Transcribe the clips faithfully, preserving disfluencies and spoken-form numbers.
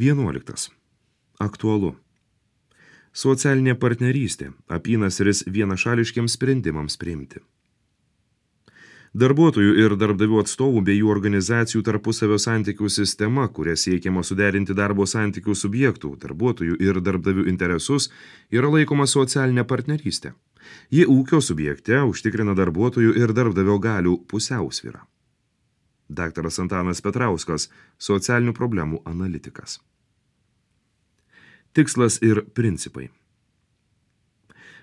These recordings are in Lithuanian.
Vienuoliktas. Aktualu. Socialinė partnerystė – apynasris vienašališkiams sprendimams priimti. Darbuotojų ir darbdavių atstovų bei jų organizacijų tarpusavio santykių sistema, kuria siekiama suderinti darbo santykių subjektų, darbuotojų ir darbdavių interesus, yra laikoma socialinė partnerystė. Ji ūkio subjekte užtikrina darbuotojų ir darbdavio galių pusiausvyrą. Daktaras Antanas Petrauskas, socialinių problemų analitikas. Tikslas ir principai.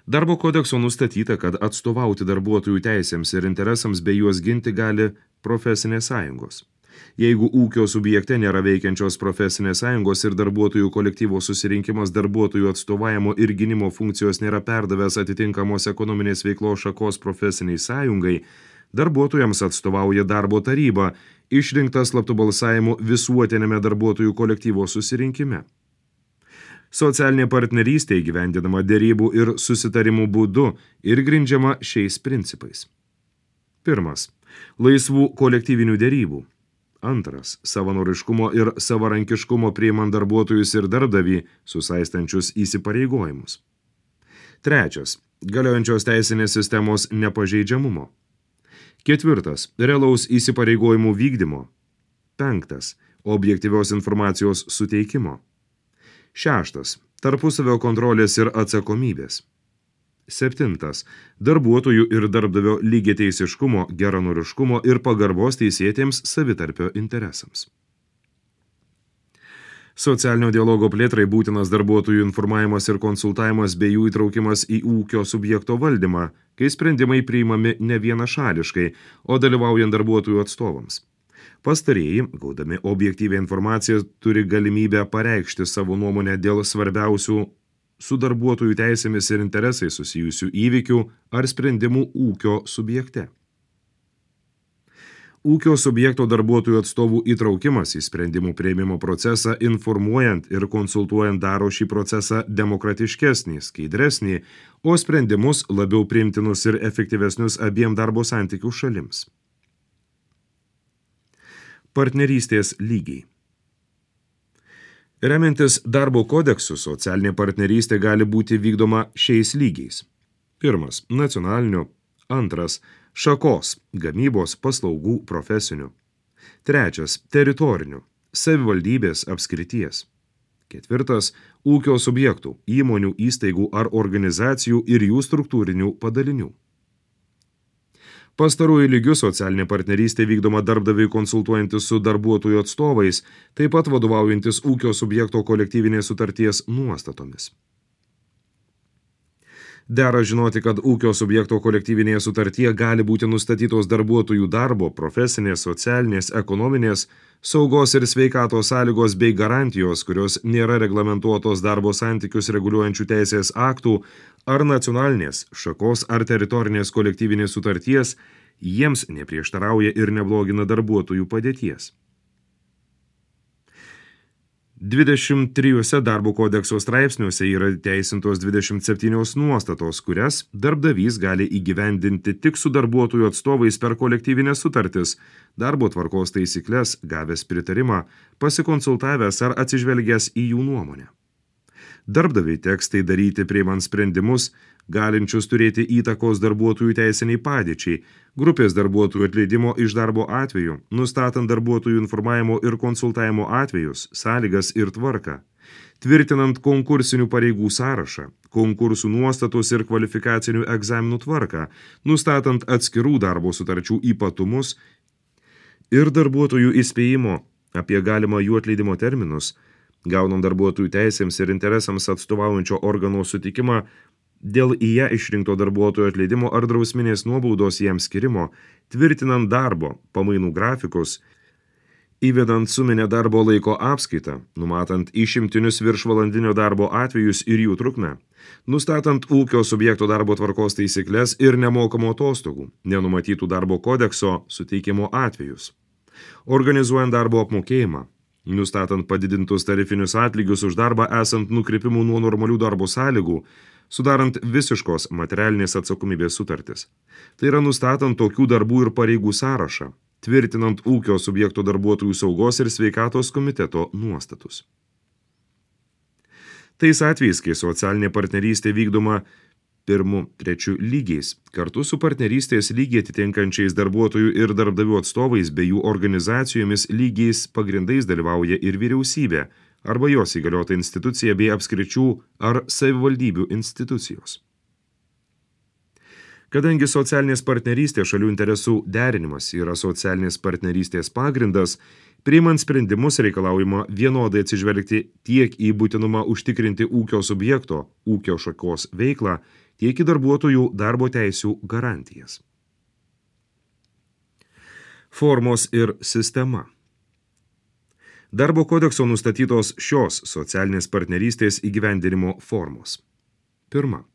Darbo kodekso nustatyta, kad atstovauti darbuotojų teisėms ir interesams bei juos ginti gali profesinės sąjungos. Jeigu ūkio subjekte nėra veikiančios profesinės sąjungos ir darbuotojų kolektyvo susirinkimas darbuotojų atstovavimo ir gynimo funkcijos nėra perdavęs atitinkamos ekonominės veiklos šakos profesiniai sąjungai, darbuotojams atstovauja darbo taryba, išrinktas slaptu balsavimu visuotiniame darbuotojų kolektyvo susirinkime. Socialinė partnerystė įgyvendinama derybų ir susitarimų būdu ir grindžiama šiais principais. Pirmas. Laisvų kolektyvinių derybų. Antras. Savanoriškumo ir savarankiškumo priimant darbuotojus ir darbdavį susaistančius įsipareigojimus. Trečias. Galiojančios teisinės sistemos nepažeidžiamumo. Ketvirtas. Realaus įsipareigojimų vykdymo. Penktas. Objektyvios informacijos suteikimo. Šeštas. Tarpusavio kontrolės ir atsakomybės. Septintas. Darbuotojų ir darbdavio lygiateisiškumo, geranoriškumo ir pagarbos teisėtiems savitarpio interesams. Socialinio dialogo plėtrai būtinas darbuotojų informavimas ir konsultavimas bei jų įtraukimas į ūkio subjekto valdymą, kai sprendimai priimami ne vienašališkai, o dalyvaujant darbuotojų atstovams. Pastarieji, gaudami objektyvią informaciją, turi galimybę pareikšti savo nuomonę dėl svarbiausių su darbuotojų teisėmis ir interesais susijusių įvykių ar sprendimų ūkio subjekte. Ūkio subjekto darbuotojų atstovų įtraukimas į sprendimų priėmimo procesą, informuojant ir konsultuojant daro šį procesą demokratiškesnį, skaidresnį, o sprendimus labiau priimtinus ir efektyvesnius abiem darbo santykių šalims. Partnerystės lygiai. Remiantis darbo kodeksu, socialinė partnerystė gali būti vykdoma šiais lygiais. Pirmas – nacionaliniu. Antras – šakos, gamybos, paslaugų, profesinių. Trečias – teritoriniu, savivaldybės, apskrities. Ketvirtas – ūkio subjektų, įmonių, įstaigų ar organizacijų ir jų struktūrinių padalinių. Pastaruoju lygiu socialinė partnerystė vykdoma darbdaviui konsultuojantis su darbuotojų atstovais, taip pat vadovaujantis ūkio subjekto kolektyvinės sutarties nuostatomis. Dera žinoti, kad ūkio subjekto kolektyvinėje sutartyje gali būti nustatytos darbuotojų darbo, profesinės, socialinės, ekonominės, saugos ir sveikatos sąlygos bei garantijos, kurios nėra reglamentuotos darbo santykius reguliuojančių teisės aktų ar nacionalinės, šakos ar teritorinės kolektyvinės sutarties, jiems neprieštarauja ir neblogina darbuotojų padėties. dvidešimt trijuose darbo kodekso straipsniuose yra teisintos dvidešimt septynios nuostatos, kurias darbdavys gali įgyvendinti tik su darbuotojų atstovais per kolektyvinės sutartis, darbo tvarkos taisykles, gavęs pritarimą, pasikonsultavęs ar atsižvelgęs į jų nuomonę. Darbdaviai teks tai daryti priimant sprendimus, galinčius turėti įtakos darbuotojų teisiniai padėčiai, grupės darbuotojų atleidimo iš darbo atveju, nustatant darbuotojų informavimo ir konsultavimo atvejus, sąlygas ir tvarką, tvirtinant konkursinių pareigų sąrašą, konkursų nuostatus ir kvalifikacinių egzaminų tvarką, nustatant atskirų darbo sutarčių ypatumus ir darbuotojų įspėjimo apie galimą jų atleidimo terminus, gaunant darbuotojų teisėms ir interesams atstovaujančio organo sutikimą dėl į ją išrinkto darbuotojo atleidimo ar drausminės nuobaudos jam skirimo, tvirtinant darbo, pamainų grafikus, įvedant suminę darbo laiko apskaitą, numatant išimtinius viršvalandinio darbo atvejus ir jų trukmę, nustatant ūkio subjekto darbo tvarkos taisykles ir nemokamų atostogų, nenumatytų darbo kodekso suteikimo atvejus, organizuojant darbo apmokėjimą, nustatant padidintus tarifinius atlygius už darbą esant nukrypimų nuo normalių darbo sąlygų, sudarant visiškos materialinės atsakomybės sutartis. Tai yra nustatant tokių darbų ir pareigų sąrašą, tvirtinant ūkio subjekto darbuotojų saugos ir sveikatos komiteto nuostatus. Tais atvejais, kai socialinė partnerystė vykdoma pirmu, trečiu lygiais, kartu su partnerystės lygiai atitinkančiais darbuotojų ir darbdavių atstovais bei jų organizacijomis lygiais pagrindais dalyvauja ir vyriausybė arba jos įgaliota institucija bei apskričių ar savivaldybių institucijos. Kadangi socialinės partnerystės šalių interesų derinimas yra socialinės partnerystės pagrindas, priimant sprendimus reikalaujama vienodai atsižvelgti tiek į būtinumą užtikrinti ūkio subjekto, ūkio šakos veiklą, tiek į darbuotojų darbo teisių garantijas. Formos ir sistema. Darbo kodekso nustatytos šios socialinės partnerystės įgyvendinimo formos. Pirma.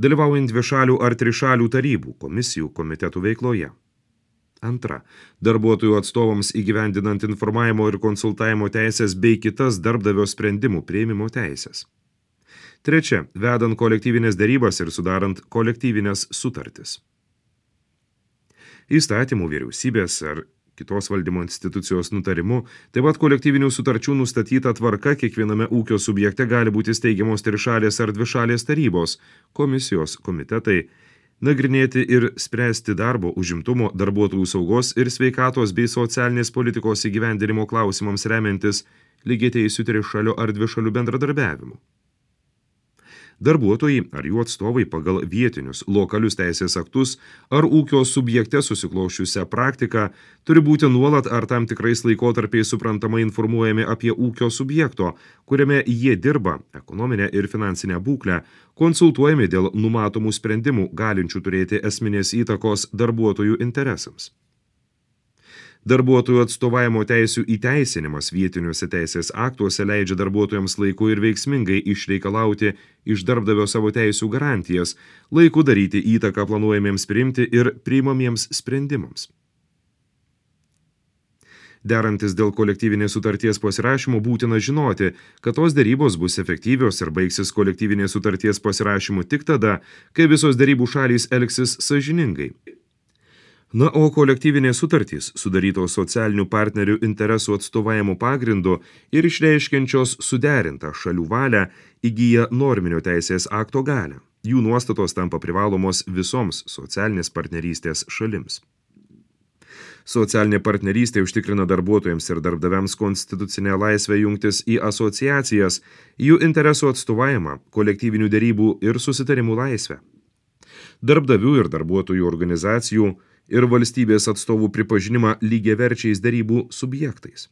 Dalyvaujant dvišalių ar trišalių tarybų, komisijų, komitetų veikloje. Antra. Darbuotojų atstovams įgyvendinant informavimo ir konsultavimo teisės bei kitas darbdavio sprendimų priėmimo teisės. Trečia. Vedant kolektyvinės derybas ir sudarant kolektyvinės sutartis. Įstatymų, vyriausybės ar kitos valdymo institucijos nutarimu, taip pat kolektyvinių sutarčių nustatyta tvarka kiekviename ūkio subjekte gali būti steigiamos trišalės ar dvišalės tarybos, komisijos, komitetai, nagrinėti ir spręsti darbo, užimtumo, darbuotojų saugos ir sveikatos bei socialinės politikos įgyvendinimo klausimams remiantis lygiateisių trišalių ar dvišalių bendradarbiavimu. Darbuotojai ar jų atstovai pagal vietinius, lokalius teisės aktus ar ūkio subjekte susikloščiusią praktiką turi būti nuolat ar tam tikrais laikotarpiais suprantamai informuojami apie ūkio subjekto, kuriame jie dirba, ekonominę ir finansinę būklę, konsultuojami dėl numatomų sprendimų, galinčių turėti esminės įtakos darbuotojų interesams. Darbuotojų atstovavimo teisių įteisinimas vietiniuose teisės aktuose leidžia darbuotojams laiku ir veiksmingai išreikalauti iš darbdavio savo teisių garantijas, laiku daryti įtaką planuojamiems priimti ir priimamiems sprendimams. Derantis dėl kolektyvinės sutarties pasirašymo būtina žinoti, kad tos derybos bus efektyvios ir baigsis kolektyvinės sutarties pasirašymu tik tada, kai visos derybų šalys elgsis sąžiningai. Na, o kolektyvinės sutartys, sudarytos socialinių partnerių interesų atstovavimo pagrindu ir išreiškiančios suderintą šalių valią, įgyja norminio teisės akto galią. Jų nuostatos tampa privalomos visoms socialinės partnerystės šalims. Socialinė partnerystė užtikrina darbuotojams ir darbdaviams konstitucinę laisvę jungtis į asociacijas, jų interesų atstovavimą, kolektyvinių derybų ir susitarimų laisvę. Darbdavių ir darbuotojų organizacijų ir valstybės atstovų pripažinimą lygiaverčiais derybų subjektais.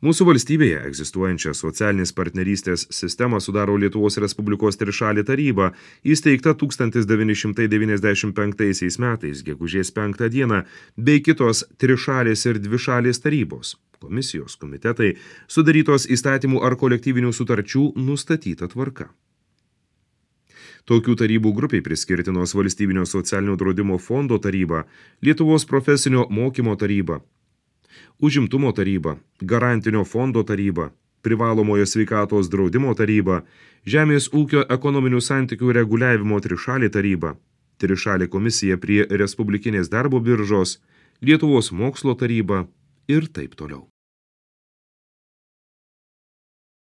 Mūsų valstybėje egzistuojančią socialinės partnerystės sistemą sudaro Lietuvos Respublikos trišalė taryba, įsteigta tūkstantis devyni šimtai devyniasdešimt penktaisiais metais, gegužės penktą dieną, bei kitos trišalės ir dvišalės tarybos, komisijos, komitetai, sudarytos įstatymų ar kolektyvinių sutarčių nustatyta tvarka. Tokių tarybų grupiai priskirtinos Valstybinio socialinio draudimo fondo taryba, Lietuvos profesinio mokymo taryba, Užimtumo taryba, Garantinio fondo taryba, Privalomojo sveikatos draudimo taryba, Žemės ūkio ekonominių santykių reguliavimo trišalė taryba, Trišalė komisija prie Respublikinės darbo biržos, Lietuvos mokslo taryba ir taip toliau.